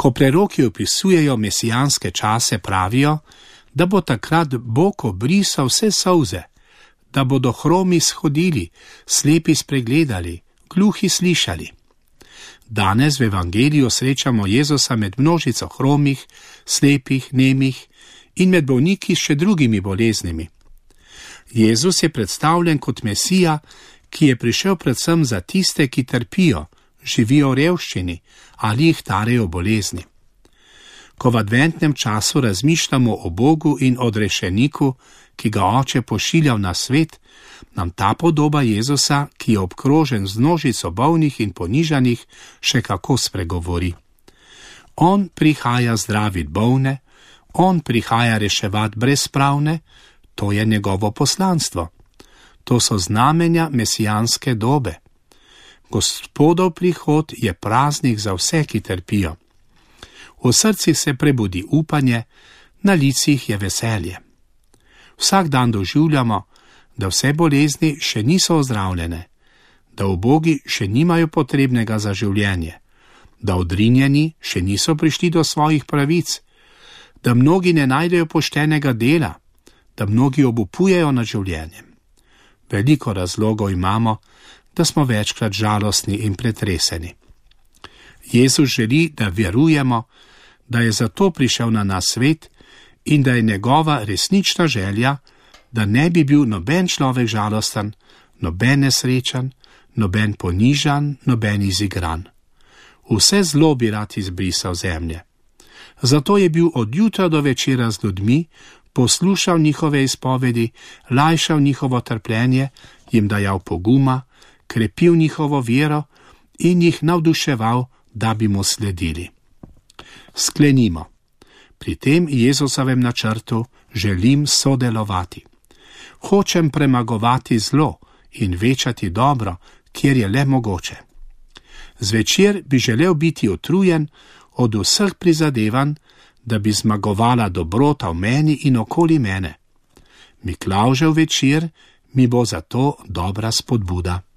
Ko preroki opisujejo mesijanske čase, pravijo, da bo takrat Bog obrisal vse solze, da bodo hromi shodili, slepi spregledali, gluhi slišali. Danes v evangeliju srečamo Jezusa med množico hromih, slepih, nemih in med bolniki s še drugimi boleznimi. Jezus je predstavljen kot Mesija, ki je prišel predvsem za tiste, ki trpijo, živijo v revščini ali jih tarejo bolezni. Ko v adventnem času razmišljamo o Bogu in odrešeniku, ki ga Oče pošiljal na svet, nam ta podoba Jezusa, ki je obkrožen z množico bolnih in ponižanih, še kako spregovori. On prihaja zdravit bolne, on prihaja reševat brezpravne, to je njegovo poslanstvo. To so znamenja mesijanske dobe. Gospodov prihod je praznik za vse, ki trpijo. V srcih se prebudi upanje, na licih je veselje. Vsak dan doživljamo, da vse bolezni še niso ozdravljene, da ubogi še nimajo potrebnega za življenje, da odrinjeni še niso prišli do svojih pravic, da mnogi ne najdejo poštenega dela, da mnogi obupujejo nad življenjem. Veliko razlogov imamo, da smo večkrat žalostni in pretreseni. Jezus želi, da verujemo, da je zato prišel na nas svet in da je njegova resnična želja, da ne bi bil noben človek žalosten, noben nesrečen, noben ponižan, noben izigran. Vse zlo bi rad izbrisal zemlje. Zato je bil od jutra do večera z ljudmi, poslušal njihove izpovedi, lajšal njihovo trpljenje, jim dajal poguma, krepil njihovo vero in jih navduševal, da bi mu sledili. Sklenimo. Pri tem Jezusovem načrtu želim sodelovati. Hočem premagovati zlo in večati dobro, kjer je le mogoče. Zvečer bi želel biti utrujen od vseh prizadevanj, da bi zmagovala dobrota v meni in okoli mene. Miklavžev večer mi bo zato dobra spodbuda.